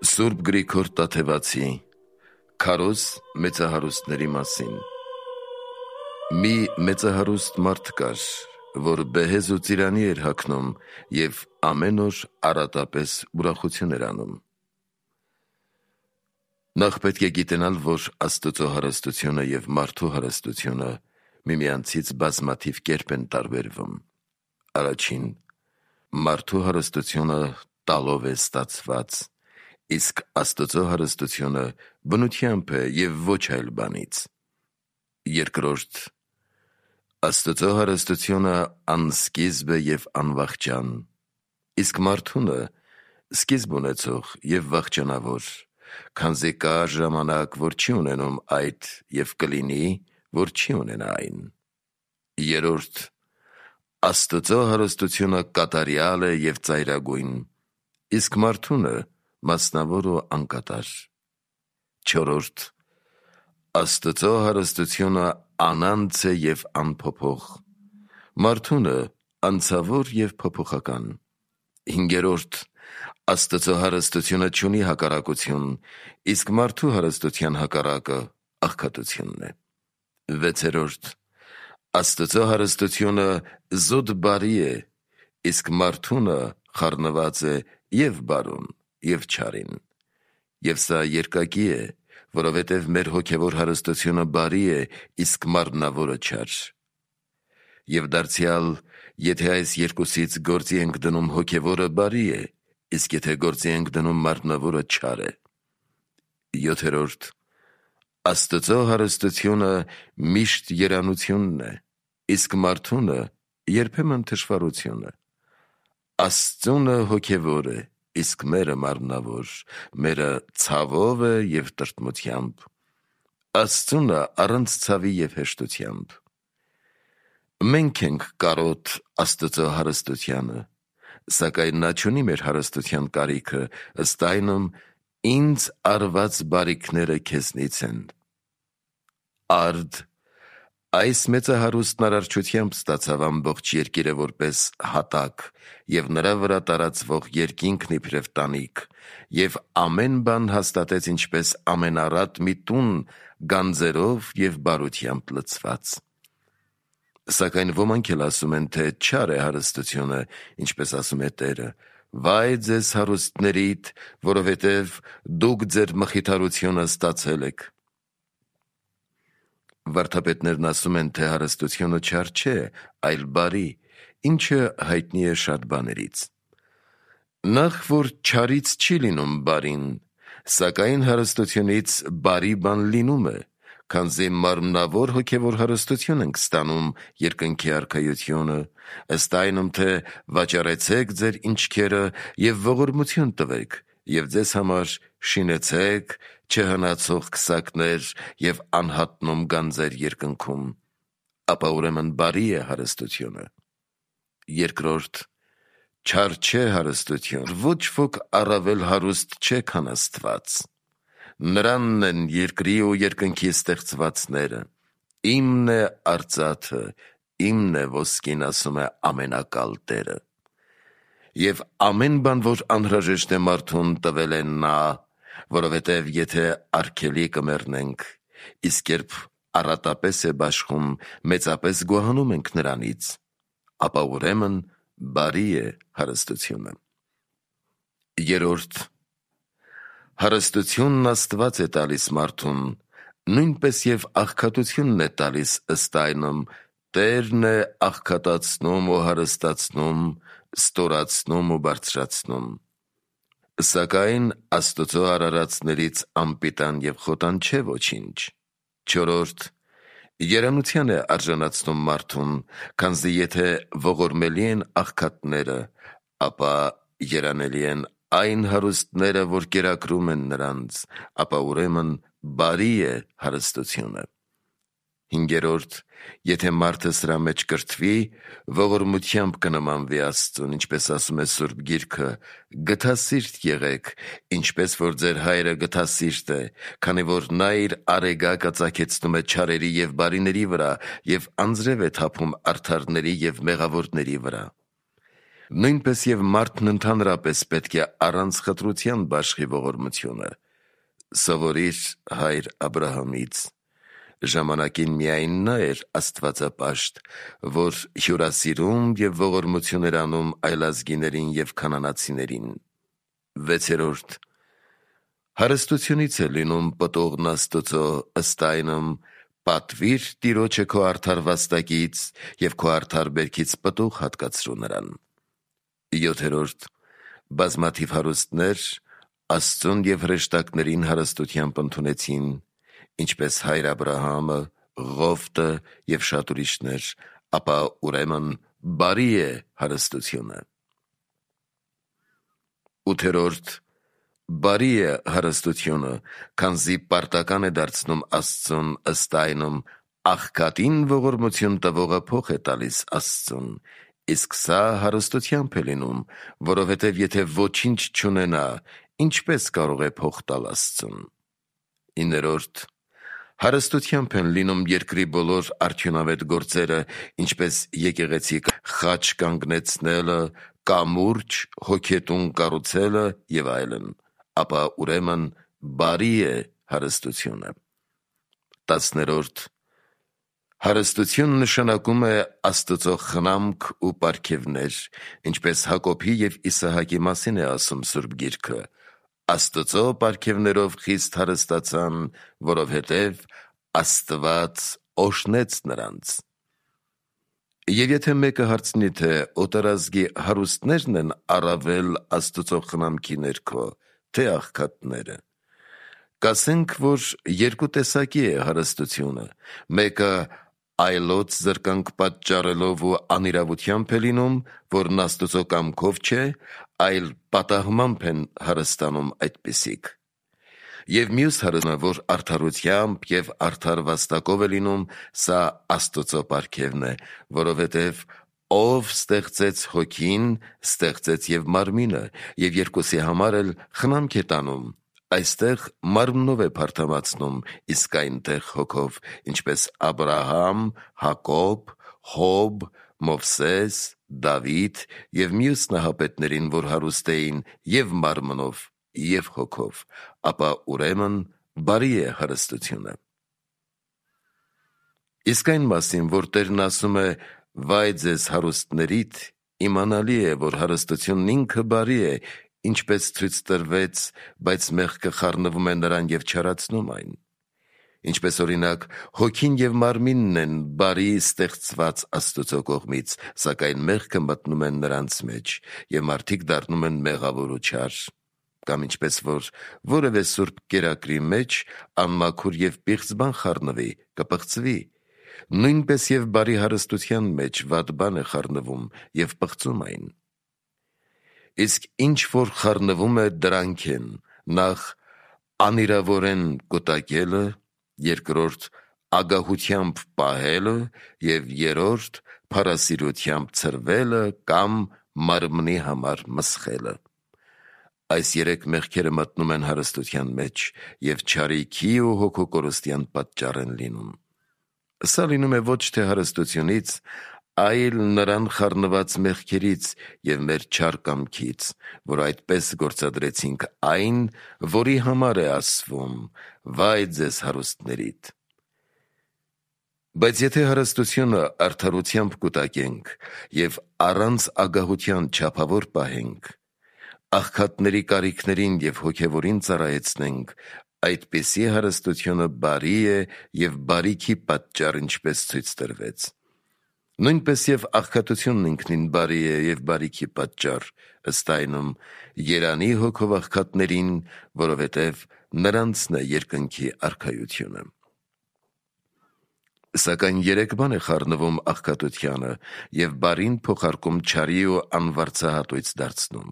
Սուրբ Գրիգոր Տաթևացի Քարոզ մեծահարուստների մասին։ Մի մեծահարուստ մարդ կար, որ բեհեզ ու ծիրանի էր հագնում և ամեն օր առատապես ուրախություն էր անում։ Նախ պետք է գիտենալ, որ Աստծո հարստությունը և մարդու հարստությունը միմյանցից բազմաթիվ կերպ են տարբերվում։ Առաջին, մարդու հարստությունը տալով է ստացված, իսկ Աստծո հարստությունը բնությամբ է և ոչ այլ բանից։ Երկրորդ, Աստծո հարստությունը անսկիզբ է և անվախճան, իսկ մարդունը սկիզբ ունեցող և վախճանավոր, քանզի կա ժամանակ, որ չի ունենում այդ և կլինի, որ չի ունենա այն։ Երրորդ, Աստծո հարստությունը կատարյալ է և ծայրագույն, իսկ մարդունը մասնավոր ու անկատար։ Չորրորդ, Աստծո հարստությունը անանց է և անփոփոխ, մարդունը անցավոր և փոփոխական։ Հինգերորդ, Աստծո հարստությունը չունի հակառակություն, իսկ մարդու հարստության հակառակը աղքատությունն է։ Վեցերորդ, Աստծո հարստությունը զուտ բարի է, իսկ մարդունը խառնված է և բարուն, և չարին։ Եվ սա երկակի է, որովհետև մեր հոգևոր հարստությունը բարի է, իսկ մարմնավորը չար։ Եվ դարձյալ, եթե այս երկուսից գործի ենք դնում, հոգևորը բարի է, իսկ եթե գործի ենք դնում, մարմնավորը չար է։ Յոթերորդ, Աստծո հարստությունը միշտ երանությունն է, իսկ մարդունը երբեմն թշվառությունը։ Աստծունը հոգևոր է, իսկ մերը մարմնավոր, մերը ցավով է և տրտմությամբ, Աստծունը առանց ցավի և հեշտությամբ։ Մենք ենք կարոտ Աստծո հարստությանը, սակայն նա չունի մեր հարստության կարիքը, ըստ այնմ, ինձ արված բարիքները քեզնից են։ Արդ, այս մեծահարուստն արարչությամբ ստացավ ամբողջ երկիրը որպես հատակ և նրա վրա տարածվող երկինքն իբրև տանիք, և ամեն բան հաստատեց ինչպես ամենառատ մի տուն գանձերով և բարությամբ լցված։ Սակայն ոմանք էլ ասում են, թե չար է հարստությունը, ինչպես ասում է Տերը. «Վայ ձեզ հարուստներիդ, որովհետև դուք ձեր մխիթարությունը ստացել եք»։ Վարդապետներն ասում են, թե հարստությունը չար չէ, այլ բարի, ինչը հայտնի է շատ բաներից։ Նախ, որ չարից չի լինում բարին, սակայն հարստությունից բարի բան լինում է, քանզի մարմնավոր հոգևոր հարստություն ենք ստանում երկնքի արքայությունը, ըստ այնմ, թե վաճառեցեք ձեր ինչքերը և ողորմություն տվեք, և ձեզ համար շինեցեք չհնացող քսակներ և անհատնում գանձեր երկնքում, ապա ուրեմն բարի է հարստությունը։ Երկրորդ, չար չէ հարստություն, ոչ ոք առավել հարուստ չէ, քան Աստված։ Նրանն են երկրի ու երկնքի ստեղծվածները։ Իմն է արծաթը, իմն է ոսկին, ասում է ամենակալ Տերը։ Եվ ամեն բան, որ անհրաժեշտ է մարդուն, տվել է նա, որովհետև եթե արգելի կմեռնենք, իսկ երբ առատապես է բաշխում, մեծապես գոհանում ենք նրանից, ապա ուրեմն բարի է հարստությունը։ Երրորդ, հարստությունն Աստված է տալիս մարդուն, նույնպես և աղքատությունն է տալիս, ըստ այնմ, Տերն է աղքատացնում ու հարստացնում, ստորացնում ու բարձրացնում։ Սակայն Աստծո արարածներից անպիտան և խոտան չէ ոչինչ։ Չորրորդ, երանության է արժանացնում մարդուն, քանզի եթե ողորմելի են աղքատները, ապա երանելի են այն հարուստները, որ կերակրում են նրանց, ապա ուրեմն բարի է հարստությունը։ Հինգերորդ, եթե մարդը սրա մեջ կրթվի, ողորմությամբ կնմանվի Աստծուն, ինչպես ասում է Սուրբ Գիրքը. «Գթասիրտ եղեք, ինչպես որ ձեր Հայրը գթասիրտ է, քանի որ նա իր արեգակը ծագեցնում է չարերի և բարիների վրա և անձրև է թափում արդարների և մեղավորների վրա»։ Նույնպես եւ մարդն ընդհանրապես պետք է առանց խտրության բաշխի ողորմությունը։ Սովորիր հայր Աբրահամից. ժամանակին միայն նա էր աստվածապաշտ, որ հյուրասիրում եւ ողորմություն էր անում այլազգիներին եւ քանանացիներին։ 6. Հարստությունից է լինում պտուղն Աստծո, ըստ այնմ պատվիր Տիրոջը քո արդար վաստակից եւ քո արդար բերքից պտուղ հատկացրու նրան։ 7. Բազմաթիվ հարուստներ Աստծուն եւ հրեշտակներին հարստությամբ ընդունեցին, ինչպես հայր Աբրահամը, Ղովտը եւ շատ ուրիշներ, ապա ուրեմն բարի է հարստությունը։ 8. Բարի է հարստությունը, քանզի պարտական է դարձնում Աստծուն, ըստ այնմ աղքատին ողորմություն տվողը փող է տալիս Աստծուն, իսկ սա հարստությամբ է լինում, որովհետև եթե ոչինչ չունենա, ինչպես կարող է փող տալ Աստծուն։ 9. Հարստությամբ են լինում երկրի բոլոր արդյունավետ գործերը, ինչպես եկեղեցի խաչ կանգնեցնելը, կամուրջ, հոգետուն կառուցելը եւ այլն, ապա ուրեմն բարի է հարստությունը։ 10. Հարստություն նշանակում է Աստծո խնամք ու պարգևներ, ինչպես Հակոբի եւ Իսահակի մասին է ասում Սուրբ Գիրքը. Աստծո պարգևներով խիստ հարստացան, որովհետև Աստված օրհնեց նրանց։ Եվ եթե մեկը հարցնի, թե օտարազգի հարուստներն են առավել Աստծո խնամքի ներքո, թե աղքատները, կասենք, որ երկու տեսակի է հարստությունը, մեկը այլոց զրկանք պատճառելով ու անիրավությամբ է լինում, որն Աստծո կամքով չէ, այլ պատահմամբ են հարստանում այդպիսիք։ Եվ մյուս հարստությունը, որ արդարությամբ եւ արդար վաստակով է լինում, սա Աստծո պարգևն է, որովհետև ով ստեղծեց հոգին, ստեղծեց եւ մարմինը, եւ երկուսի համար էլ խնամք է տանում, այստեղ մարմնով է փարթամացնում, իսկ այնտեղ հոգով, ինչպես Աբրահամ, Հակոբ, Հոբ, Մովսես, Դավիթ եւ մյուս նահապետներին, որ հարուստ էին եւ մարմնով եւ հոգով, ապա ուրեմն բարի է հարստությունը։ Իսկ այն մասին, որ Տերն ասում է «Վայ ձեզ հարուստներիդ», իմանալի է, որ հարստությունն ինքը բարի է, ինչպես ցույց տրվեց, բայց մեղքը խառնվում է նրան եւ չարացնում այն։ Ինչպես օրինակ, հոգին եւ մարմինն են բարի ստեղծված Աստծո կողմից, սակայն մեղքը մտնում է նրանց մեջ, եւ մարդիկ դառնում են մեղավոր ու չար։ Կամ ինչպես որ որևէ սուրբ կերակրի մեջ անմաքուր եւ պիղծ բան խառնվի, կպղծվի, նույնպես եւ բարի հարստության մեջ վատ բան է խառնվում եւ պղծում այն։ Իսկ ինչ որ խառնվում է, դրանք են. նախ անիրավորեն կուտակելը, երկրորդ ագահությամբ պահելը եւ երրորդ փառասիրությամբ ցրվելը կամ մարմնի համար մսխելը։ Այս երեք մեղքերը մտնում են հարստության մեջ եւ չարիքի ու հոգու կորստյան պատճառ են լինում։ Սա լինում է ոչ թե հարստությունից, այլ նրան խառնված մեղքերից եւ մեր չար կամքից, որ այդպես գործադրեցինք այն, որի համար է ասվում «Վայ ձեզ հարուստներիդ»։ Բայց եթե հարստությունը արդարությամբ կուտակենք եւ առանց ագահության չափավոր պահենք, աղքատների կարիքներին եւ հոգեվորին ծառայեցնենք, այդպիսի հարստությունը բարի է եւ բարիքի պատճառ, ինչպես ցույց տրվեց։ Նույնպես եւ աղքատությունն ինքնին բարի է եւ բարիքի պատճառ, ըստ այնմ երանի հոգով աղքատներին, որովհետեւ նրանցն է երկնքի արքայությունը։ Սակայն երեք բան է խառնվում աղքատությանը եւ բարին փոխարկում չարի ու անվարձահատույց դարձնում։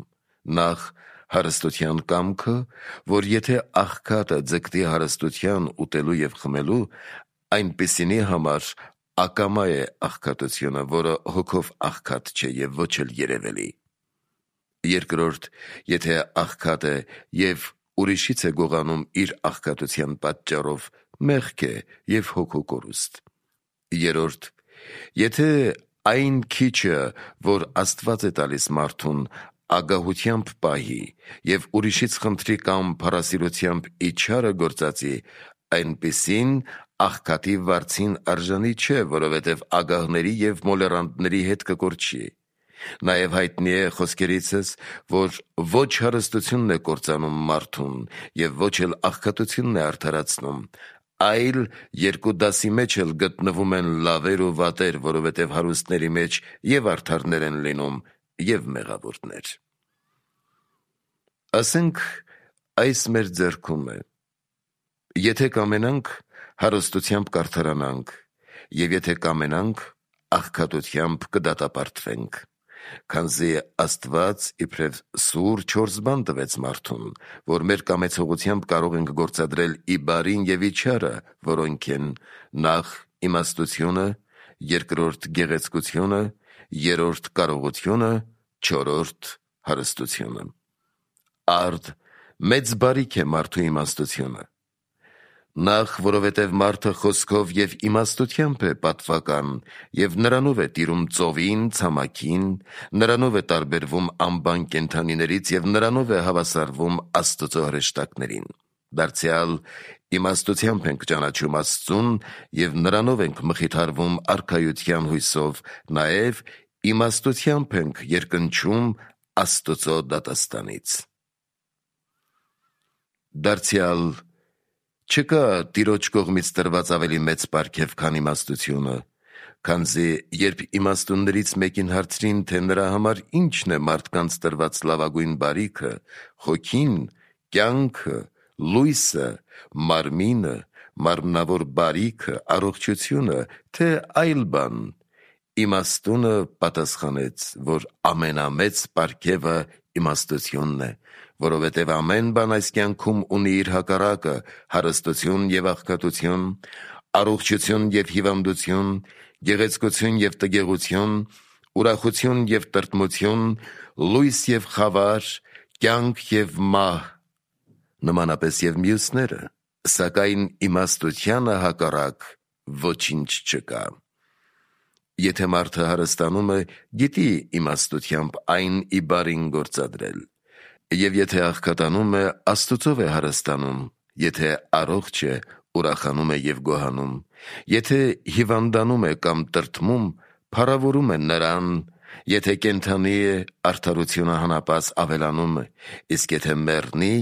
Նախ հարստության կամքը, որ եթե աղքատը ձգտի հարստության ուտելու եւ խմելու, այնպիսինի համար ակամա է աղքատությունը, որը հոգով աղքատ չէ եւ ոչ էլ երևելի։ Երկրորդ, եթե աղքատ է եւ ուրիշից է գողանում իր աղքատության պատճառով, մեղք է եւ հոգու կորուստ։ Երրորդ, եթե այն քիչը, որ Աստված է տալիս մարդուն, ագահությամբ պահի և ուրիշից խնդրի կամ փառասիրությամբ իջարը գործածի, այնպիսին աղքատի վարձին արժանի չէ, որովհետև ագահների և մոլեռանդների հետ կկորչի։ Նաև հայտնի է խոսքերիցս, որ ոչ հարստությունն է կործանում մարդուն և ոչ էլ աղքատությունն է արդարացնում, այլ երկու դասի մեջ էլ գտնվում են լավեր ու վատեր, որովհետև հարուստների մեջ և արդարներ են լինում, և մեղավորներ։ Ասենք, այս մեր ձեռքում է. եթե կամենանք, հարստությամբ կարդարանանք, և եթե կամենանք, աղքատությամբ կդատապարտվենք, քանզի Աստված իբրև սուր 4 բան տվեց մարդուն, որ մեր կամեցողությամբ կարող ենք գործադրել ի բարին և ի չարը, որոնք են նախ իմաստությունը, երկրորդ գեղեցկությունը, երրորդ կարողությունը, չորրորդ հարստությունը։ Արդ մեծ բարիք է մարդու իմաստությունը։ Նախ, որովհետև մարդը խոսքով և իմաստությամբ է պատվական և նրանով է տիրում ծովին, ցամաքին, նրանով է տարբերվում անբան կենդանիներից և նրանով է հավասարվում Աստծո հրեշտակներին։ Դարձյալ իմաստությամբ ենք ճանաչում Աստծուն և նրանով ենք մխիթարվում արքայության հույսով, նաև իմաստությամբ ենք երկնչում Աստծո դատաստանից։ Դարձյալ չկա Տիրոջ կողմից տրված ավելի մեծ պարգև, քան իմաստությունը, քանզի երբ իմաստուններից մեկին հարցրին, թե նրա համար ինչն է մարդկանց տրված լավագույն բարիքը, հոգին, կյանքը, լույսը, մարմինը, մարմնավոր բարիքը, առողջությունը, թե այլ բան, իմաստունը պատասխանեց, որ ամենամեծ պարգևը իմաստությունն է, որովհետև ամեն բան այս կյանքում ունի իր հակառակը՝ հարստություն և աղքատություն, առողջություն և հիվանդություն, գեղեցկություն և տգեղություն, ուրախություն և տրտմություն, լույս և խավար, կյանք և մահ, նմանապես և մյուսները, սակայն իմաստությանը հակառակ ոչինչ չկա։ Եթե մարդը հարստանում է, գիտի իմաստությամբ այն ի բարին գործադրել, և եթե աղքատանում է, Աստծով է հարստանում, եթե առողջ է, ուրախանում է և գոհանում, եթե հիվանդանում է կամ տրտմում, փառավորում է Նրան, եթե կենդանի է, արդարությունը հանապաս ավելանում է, իսկ եթե մեռնի,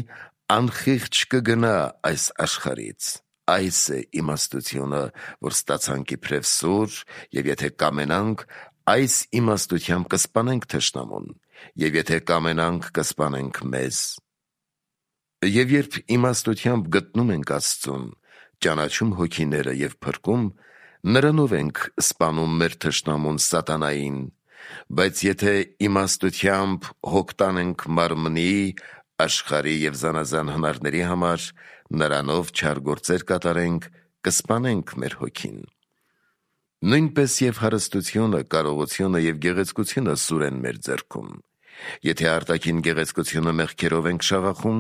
անխիղճ կգնա այս աշխարհից։ Այս է իմաստությունը, որ ստացանք իբրև սուր, և եթե կամենանք, այս իմաստությամբ կսպանենք թշնամուն, և եթե կամենանք, կսպանենք մեզ։ Եվ երբ իմաստությամբ գտնում ենք Աստծուն, ճանաչում հոգիները և փրկում, նրանով ենք սպանում մեր թշնամուն սատանային, բայց եթե իմաստությամբ հոգ տանենք մարմնի, աշխարհի և զանազան հնարների համար, նրանով չար գործեր կատարենք, կսպանենք մեր հոգին։ Նույնպես և հարստությունը, կարողությունը և գեղեցկությունը սուր են մեր ձեռքում։ Եթե արտաքին գեղեցկությունը մեղքերով ենք շաղախում,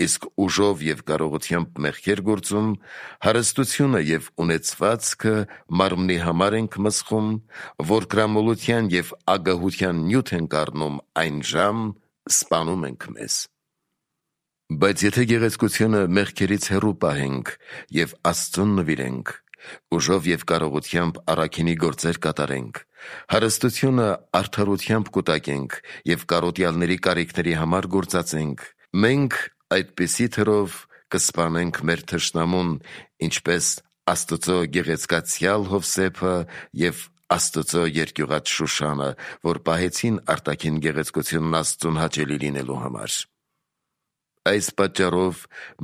իսկ ուժով և կարողությամբ մեղքեր գործում, հարստությունը և ունեցվածքը մարմնի համար ենք մսխում, որկրամոլության և ագահության նյութ ենք առնում, այն ժամ սպանում ենք մեզ։ Բայց եթե գեղեցկությունը մեղքերից հեռու պահենք և Աստծուն նվիրենք, ուժով և կարողությամբ առաքինի գործեր կատարենք, հարստությունը արդարությամբ կուտակենք և կարոտյալների կարիքների համար գործածենք, մենք այդպիսի թրով կսպանենք մեր թշնամուն, ինչպես Աստծո գեղեցկացյալ Հովսեփը և Աստծո երկյուղած Շուշանը, որ պահեցին արտաքին գեղեցկությունն Աստծուն հաճելի լինելու համար։ Այս պատճառով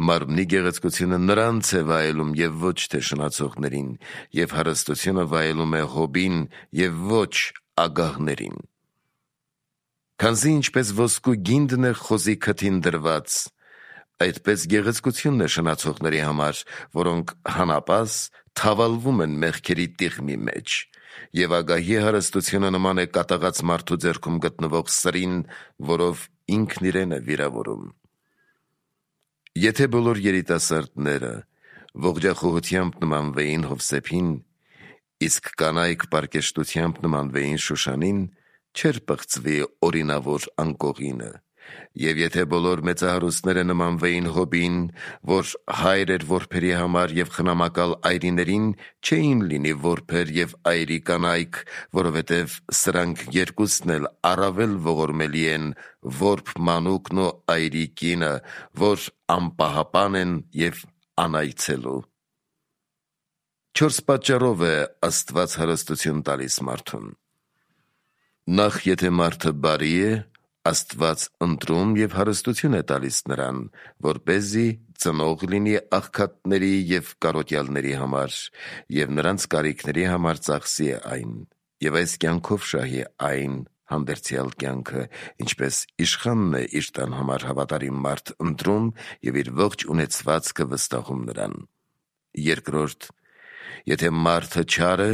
մարմնի գեղեցկությունը նրանց է վայելում և ոչ թե շնացողներին, և հարստությունը վայելում է հոբին և ոչ ագահներին։ Քանզի ինչպես ոսկու գինդն է խոզի քթին դրված, այդպես գեղեցկությունն է շնացողների համար, որոնք հանապաս թավալվում են մեղքերի տիղմի մեջ, և ագահի հարստությունը նման է կատաղած մարդու ձեռքում գտնվող սրին, որով ինքն իրեն է վիրավորում։ Եթե բոլոր երիտասարդները ողջախոհությամբ նմանվեին Հովսեփին, իսկ կանայք պարկեշտությամբ նմանվեին Շուշանին, չէր պղծվի օրինավոր անկողինը, և եթե բոլոր մեծահարուստները նմանվեին Հոբին, որ հայր էր որբերի համար և խնամակալ այրիներին, չէին լինի որբեր և այրի կանայք, որովհետև սրանք երկուսն էլ առավել ողորմելի են որբ մանուկն ու այրի կինը, որ անպահապան են և անայցելու։ 4 պատճառով է Աստված հարստություն տալիս մարդուն։ Նախ, եթե մարդը բարի է, Աստված ընտրում և հարստություն է տալիս նրան, որպեսզի ծնող լինի աղքատների և կարոտյալների համար, և նրանց կարիքների համար ծախսի այն, և այս կյանքով շահի այն հանդերձյալ կյանքը, ինչպես իշխանն է իր տան համար հավատարիմ մարդ ընտրում և իր ողջ ունեցվածքը վստահում նրան։ Երկրորդ, եթե մարդը չար է,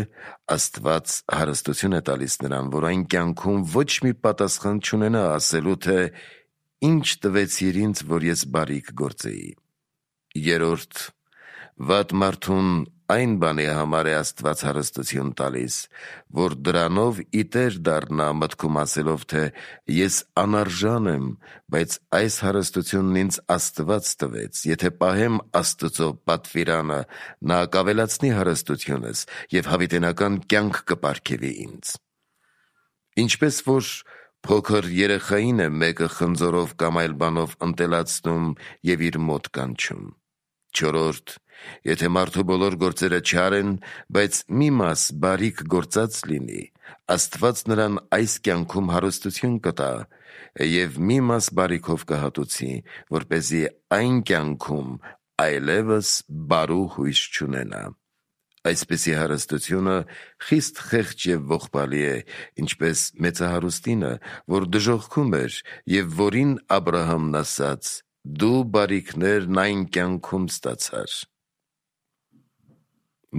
Աստված հարստություն է տալիս նրան, որ այն կյանքում ոչ մի պատասխան չունենա ասելու, թե «Ինչ տվեցիր ինձ, որ ես բարիք գործեի»։ Երրորդ, վատ մարդուն այն բանի համար է Աստված հարստություն տալիս, որ դրանով ի տեր դառնա մտքում ասելով, թե «Ես անարժան եմ, բայց այս հարստությունն ինձ Աստված տվեց, եթե պահեմ Աստծո պատվիրանը, նա կավելացնի հարստությունս և հավիտենական կյանք կպարգևի ինձ»։ Ինչպես որ փոքր երեխային է մեկը խնձորով կամ այլ բանով ընտելացնում և իր մոտ կանչում։ Չորրորդ, եթե մարդու բոլոր գործերը չար են, բայց մի մաս բարիք գործած լինի, Աստված նրան այս կյանքում հարստություն կտա և մի մաս բարիքով կհատուցի, որպեսզի այն կյանքում այլևս բարու հույս չունենա։ Այսպիսի հարստությունը խիստ խեղճ և ողբալի է, ինչպես մեծահարուստինը, որ դժոխքում էր և որին Աբրահամն ասաց. «Դու բարիքներն այն կյանքում ստացար»։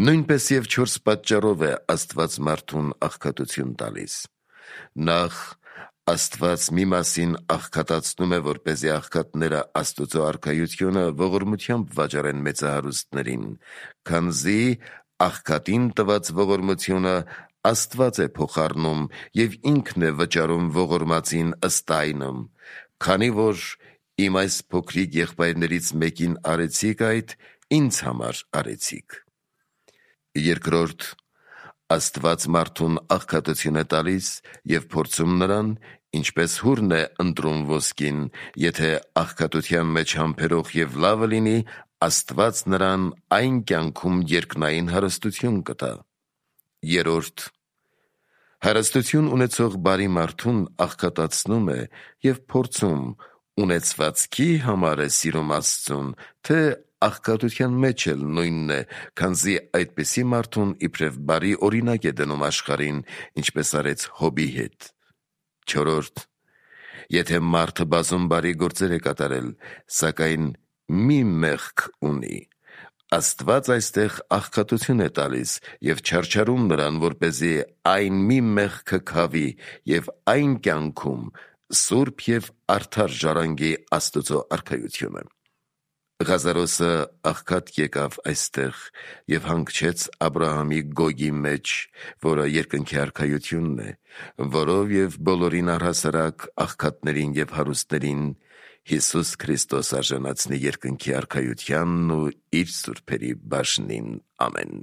Նույնպես և 4 պատճառով է Աստված մարդուն աղքատություն տալիս։ Նախ, Աստված մի մասին աղքատացնում է, որպեսզի աղքատները Աստծո արքայությունը ողորմությամբ վաճառեն մեծահարուստներին, քանզի աղքատին տված ողորմությունը Աստված է փոխառնում և ինքն է վճարում ողորմածին ըստ այնմ, քանի որ «Իմ այս փոքրիկ եղբայրներից մեկին արեցիք այդ, ինձ համար արեցիք»։ Երկրորդ, Աստված մարդուն աղքատություն է տալիս և փորձում նրան, ինչպես հուրն է ընտրում ոսկին, եթե աղքատության մեջ համբերող և լավը լինի, Աստված նրան այն կյանքում երկնային հարստություն կտա։ Երրորդ, հարստություն ունեցող բարի մարդուն աղքատացնում է և փորձում ունեցվածքի համար է սիրում Աստծուն, թե աղքատության մեջ էլ նույնն է, քանզի այդպիսի մարդուն իբրև բարի օրինակ է դնում աշխարհին, ինչպես արեց Հոբի հետ։ Չորրորդ, եթե մարդը բազում բարի գործեր է կատարել, սակայն մի մեղք ունի, Աստված այստեղ աղքատություն է տալիս և չարչարում նրան, որպեսզի այն մի մեղքը քավի և այն կյանքում սուրբ և արդար ժառանգի Աստծո արքայությունը։ Ղազարոսը աղքատ եկավ այստեղ և հանգչեց Աբրահամի գոգի մեջ, որը երկնքի արքայությունն է, որով և բոլորին առհասարակ աղքատներին և հարուստներին Հիսուս Քրիստոս արժանացնի երկնքի արքայությանն ու իր սուրբերի բաժնին։ Ամեն։